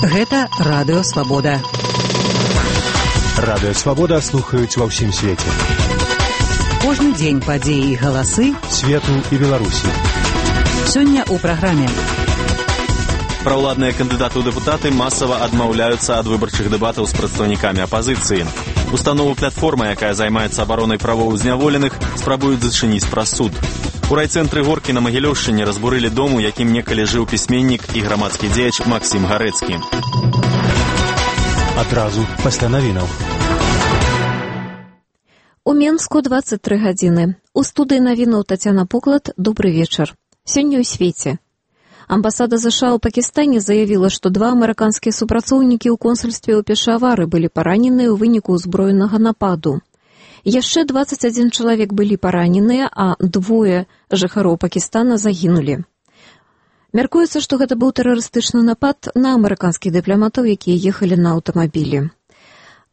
Гэта Радыё Свабода. Радыё Свабода слухаюць ва ўсім свеце. Кожны дзень падзеі і галасы свету і Беларусі. Сёння ў праграме. Праўладныя кандыдаты ў дэпутаты масава адмаўляюцца ад выбарчых дэбатаў з прадстаўнікамі апазіцыі. Установу платформа, якая займаецца абаронай правоў зняволеных, спрабуюць зачыніць праз суд. У райцэнтры Горкі на Магілёўшчыне разбурылі дом, у якім некалі жыў пісьменнік і грамадскі дзеяч Максім Гарэцкі. Адразу пасля навінаў. У Менску 23 гадзіны. У студыі навінаў Тацяна Поклад. Добры вечар. Сёння ў свеце. Амбасада США ў Пакістане заявіла, што 2 амерыканскія супрацоўнікі ў консульстве ў Пешавары былі параненыя ў выніку ўзброенага нападу. Яшчэ 21 чалавек былі параненыя, а 2 жыхароў Пакістана загінулі. Мяркуецца, што гэта быў тэрарыстычны напад на амерыканскіх дыпламатаў, якія ехалі на аўтамабілі.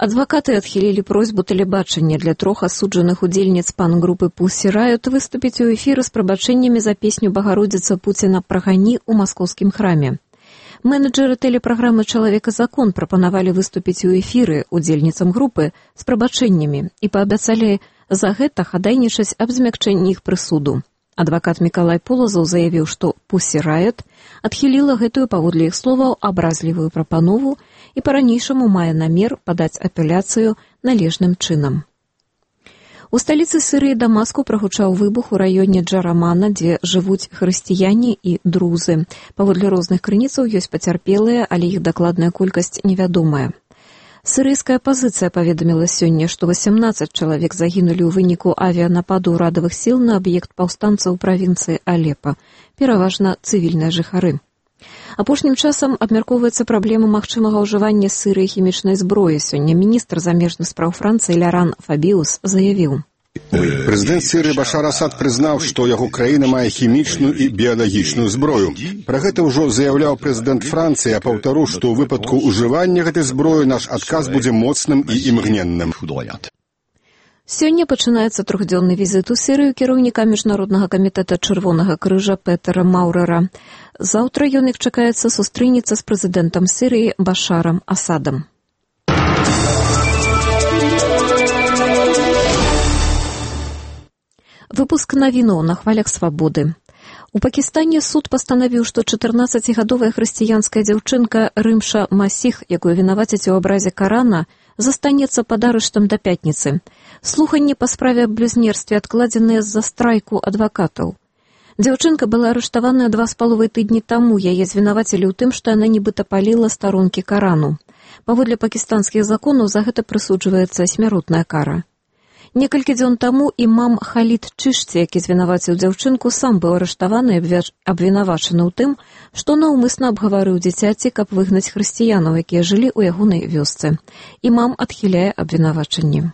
Адвакаты адхілілі просьбу тэлебачання для 3 асуджаных удзельніц пан-групы Pussy Riot выступіць у эфіры з прабачэннямі за песню «Багародзіца Пуціна прагані» ў маскоўскім храме. Менеджеры тэлепраграмы «Чалавек-закон» прапанавалі выступіць у эфіры удзельніцам групы з прабачэннямі і паабяцалі за гэта хадайнічаць аб змякчэнні іх прысуду. Адвакат Мікалай Полазаў заявіў, што Pussy Riot адхіліла гэтую, паводле іх словаў, абразлівую прапанову і па-ранейшаму мае намер падаць апеляцыю належным чынам. У сталіцы Сірыі Дамаску прагучаў выбух у раёне Джарамана, дзе жывуць хрысціяне і друзы. Паводле розных крыніцаў ёсць пацярпелыя, але іх дакладная колькасць невядомая. Сірыйская апазіцыя паведаміла сёння, што 18 чалавек загінулі ў выніку авіянападу ўрадавых сіл на аб'ект паўстанцаў правінцыі Алепа, пераважна цывільныя жыхары. Апошнім часам абмяркоўваецца праблема магчымага ўжывання Сірыі хімічнай зброі. Сёння міністр замежных спраў Францыі Ляран Фабіус заявіў. Прэзідэнт Сірыі Башар Асад прызнаў, што яго краіна мае хімічную і біялагічную зброю. Пра гэта ўжо заяўляў прэзідэнт Францыі, а паўтару, што ў выпадку ўжывання гэтай зброі наш адказ будзе моцным і імгненным. Сёння пачынаецца 3-дзённы візіт у Сірыю кіраўніка Міжнароднага камітэта Чырвонага крыжа Петера Маўрера. Заўтра ён іх чакаецца сустрэнецца з прэзідэнтам Сірыі Башарам Асадам. Выпуск навінаў на хвалях свабоды. У Пакістане суд пастанавіў, што 14-гадовая хрысціянская дзяўчынка Рымша Масіх, якую вінавацяць у абразе Карана, застанецца пад арыштам да пятніцы. Слуханні па справе аб блюзнерстве адкладзеныя з-за страйку адвакатаў. Дзяўчынка была арыштаваная 2,5 тыдні таму. Яе звінавацілі ў тым, што яна нібыта паліла старонкі Карану. Паводле пакістанскіх законаў за гэта прысуджваецца смяротная кара. Некалькі дзён таму імам Халід Чышці, які звінаваціў дзяўчынку, сам быў арыштаваны і абвінавачаны ў тым, што наўмысна абгаварыў дзіцяці, каб выгнаць хрысціянаў, якія жылі ў ягонай вёсцы. Імам адхіляе абвінавачанні.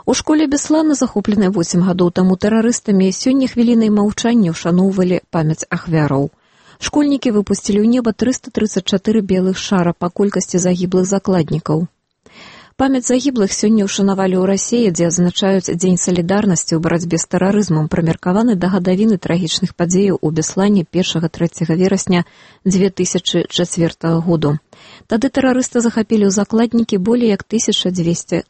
У школе Беслана, захопленай 8 гадоў таму тэрарыстамі, сёння хвілінай маўчання ўшаноўвалі памяць ахвяраў. Школьнікі выпусцілі ў неба 334 белых шара па колькасці загіблых закладнікаў. Памяць загіблых сёння ўшанавалі ў Расіі, дзе адзначаюць Дзень салідарнасці ў барацьбе з тэрарызмам, прымеркаваны да гадавіны трагічных падзеяў у Беслане 1-3 верасня 2004 году. Тады тэрарысты захапілі ў закладнікі болей як 1200